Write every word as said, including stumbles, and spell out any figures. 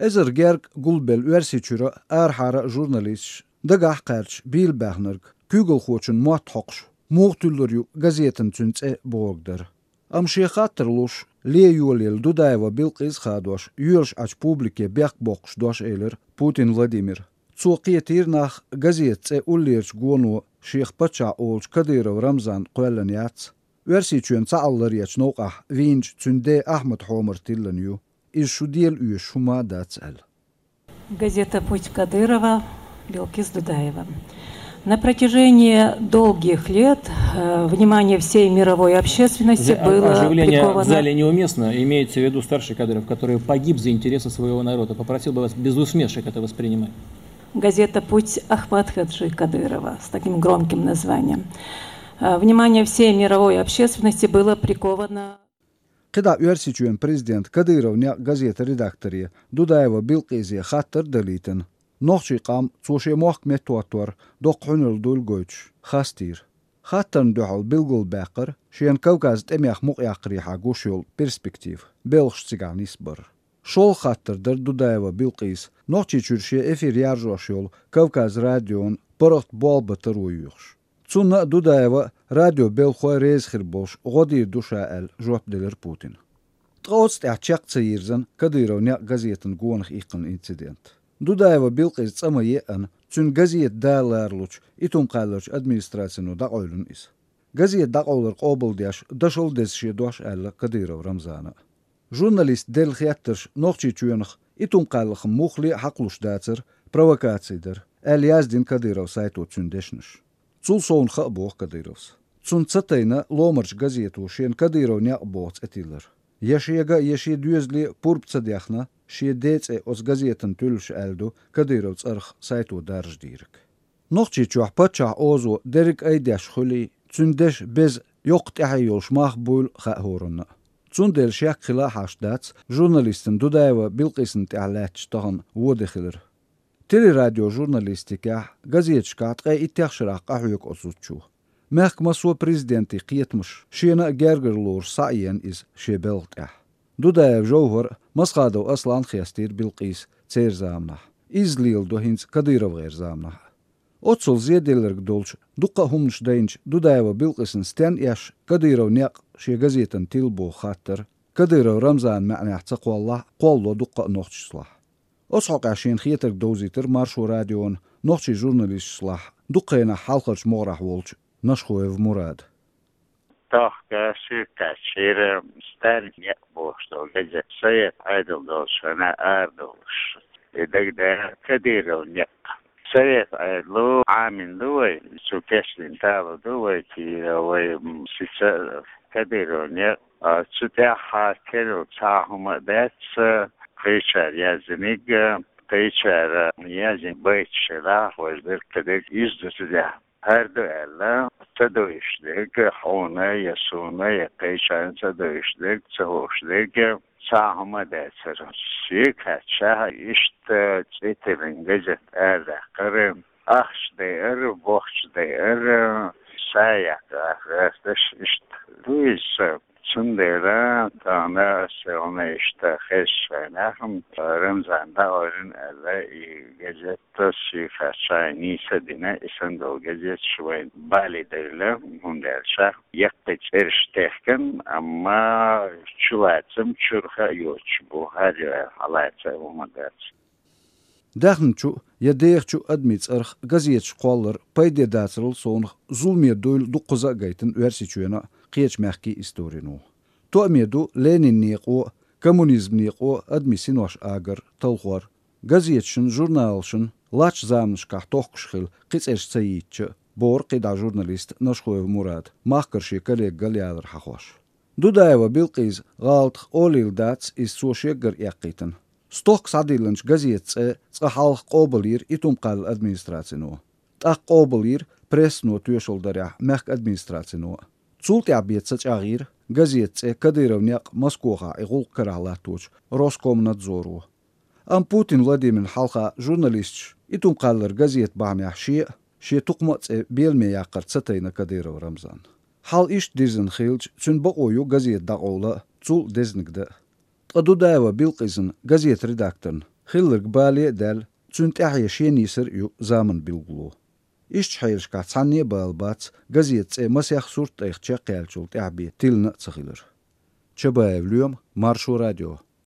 Эзар герга гулбелла Оьрсийчуьра арахьара а журналисташ дагахь а кхаьрдаш, бийла баьхнарг, куьйгалхочун мотт хьокхуш, муха туьллур ю газетан цуьнан цӀе бохург дара. Амма шен хаттар луш, лен йолаелла Дудаева Билкъис а хадош, йоьлуш Ӏачу публике бехк боккхуш дош элира Путин Владимира. Цо кхетийра нах газетан цӀе уллерчу гоно шех паччахь олучу Кадыров Рамзанна кхоьллина яц, Оьрсийчоьнан цхьаалларечу новкъахь вийначу цуьнан ден Ахьмадан хьомара тиллина ю. Иза шу дела оьшуш хӀума а дац аьлла. Газета «Путь» Кадырова, Билкис Дудаева. На протяжении долгих лет э, внимание всей мировой общественности Зе- было оживление приковано. В зале неуместно. Имеется в виду старший Кадыров, который погиб за интересы своего народа. Попросил бы вас без усмешек это воспринимать. Газета «Путь» Ахмад Хаджи Кадырова с таким громким названием. Э, Внимание всей мировой общественности было приковано. КхидӀа Оьрсийчоьнан президента Кадыров некъ газетан редакторе Дудаева Билкъисе хаттар а далийтина, нохчийн къам цо шен мохк меттахӀоттор доккха хьуьнаралла дуйла гойтуш, хастийра. Хаттарна дуьхьал билгалбаьккхира шена Кавказан тӀемех мукъаяккхарехьа гуш йолу перспектива, белхаш цигахь нисбар. ШолгӀа хаттар дара Дудаева Билкъиса Нохчийчуьра шен эфир яржош йолу Кавказ радион паргӀат болх бан таро йоьхуш. Цунна а, Дудаева а радион белхахой реза хир болуш гӀо дийр ду ша аьлла, жоп делира Путина. Ткъа оцу тӀехь чекх ца йирзина Кадыров некъ газетана гонах иккхина инцидент. Дудаева Билкъиса цӀа ма еъна, цуьнан газета да ларалучу Итум-Кхаьлларчу администрацино дӀакъевлина иза. Газета дӀакъовлар къобалдеш, дашал деза шен дош аьлла Кадыров Рамзана а. Журналиста делла хеттарш Нохчийчоьнах Итум-Кхаьллах муххале а хьакхалуш дацара, провокаци дара, аьлла яздина Кадыров сайто цуьнан дешнаш. Цул совнаха а боху Кадыровс. Цунна ца тайна ломарчу газето шена Кадыров некъ боху цӀе тиллар. Я шега а, я шен доьзале а пурба ца дехна, шен ден цӀе оцу газетана туьллуш аьлла ду Кадыров цӀарах сайто даржадийриг. Нохчийчохь паччахьан озо дерриг айдеш хуьлий, цуьнан дешан беза йоккха тӀаьхье йолуш мах буйла хаьа хӀоранна а. Цундела шек хила а хьашт дац журналистана Дудаева Билкъисана тӀехь лаьтташ тахана вон де хилар. Телерадиожурналистикехь, газеташкахь ткъе иттех шарахь къахьоьгу оцу зудчо. Мехкан массо а президентийн кхетамаш шена а гергарлораш схьаэна иза шен белхан тӀехь. Дудаев ЖовхӀар а, Масхадов Аслан а хестийра Билкъиса церан заманахь. Изза леладо хӀинца КадыровгӀеран заманахь а. Оццул зеделларг долчу, дуккха а хӀуманаш дайначу Дудаева Билкъисана стенна эшна Кадыров некъ шен газетана тилла боху хаттар Кадыров Рамзанан маьӀнехь ца кхоллахь а, кхоллало дуккха а нохчашлахь. Оцу хьокъехь шена хетарг довзийтира Маршо радиона нохчийн журналисташлахь дукха хенахь хьалхарчу могӀарехь волчу Нашхоев Мурада. Тохка шуьйра кхаьчира Сталин некъ бохуш долу газета, Совет Ӏедал долчу хенахь арадолуш. И дагадеана Кадыров некъ. Совет Ӏедало Ӏамийна ду вай, цо кечдина тало ду вай, кийра вай, м, сица Кадыров некъ. А, цу тӀехь керла цхьа а хӀума а дац, кхечара яздиниг, кхечара яздина байташ хилахь, важа дерг кадерг иза ду цу тӀехь. ХӀара ду аьлла, ца довзуьйтуш дерг, хьуна я суна, я кхечарна ца довзуьйтуш дерг, ца хууш дерг, цхьа а хӀума а дацара. Шега кхаьчча, иштта цӀе тиллина газета арадаьккхира, ахча дайара, бохча дайара, са яккха гӀерташ иштта. Ду иза. Цундела тахана аса хьуна иштта хезча, вайнахь Рамзан дӀаоьллина аьлла, и газета шега кхаьчча нийса а дина, и санна долу газеташ вайн бале девлла, хӀунда аьлча яккхий цӀераш техкина, амма чулацам чурха а йоцуш бу, хӀара хьалаца а хӀума дац. Даьхначу я дехачу адамийн цӀарах газеташ кхоллар пайде дацарал совнах зуламе дуйла дуккхаза а гайтина Оьрсийчоьнан а, кхечу мехкийн историно. Тоъаме ду Ленинан некъо а, коммунизман некъо а адамийн синош агар, талхор. Газеташна, журналашна латтачу заманашкахь тохкуш хилла кхин цӀераш ца йийцча а, бохура кхидӀа журналиста Нашхоев Мурада, махкара шен коллегал ялар хьахош. Дудаева Билкъисан гӀалатах олийла дац иза цо шеггара эккхийтина. Стохка схьадиллинчу газетан цӀе цкъа хьалха къобалйира Итум-Кхаьллан администрацино. ТӀаккха къобалйира прессано тоьшалла дарехь мехкан администрацино а. Цул тӀаьхьа бен ца чӀагӀйира газетан цӀе Кадыров некъ Москохахь и гӀуллакх карахь латточу Роскомнадзоро. Амма Путин Владимирна хьалха журналисташ Итум-Кхаьллара газета бахьанехь шен а, шен тукхама а цӀе беламе яккхар ца тайна Кадыров Рамзанна. Хьал иштта дирзина хилча, цуьнан бакъо ю газета дӀакъовла а, цул дезниг дан а. Ткъа Дудаева Билкъисан газетан редакторна Хилларг бале а даьлла, цуьнан тӀаьхье шен нийсар а ю заманан билгало. Иштта хьелашкахь цхьанне а бала бац газетан цӀе масех сурт тӀайх чекхъяьллачул тӀаьхьа бен тиллина а ца хилар. Чабаев Лоьма, Маршо радио.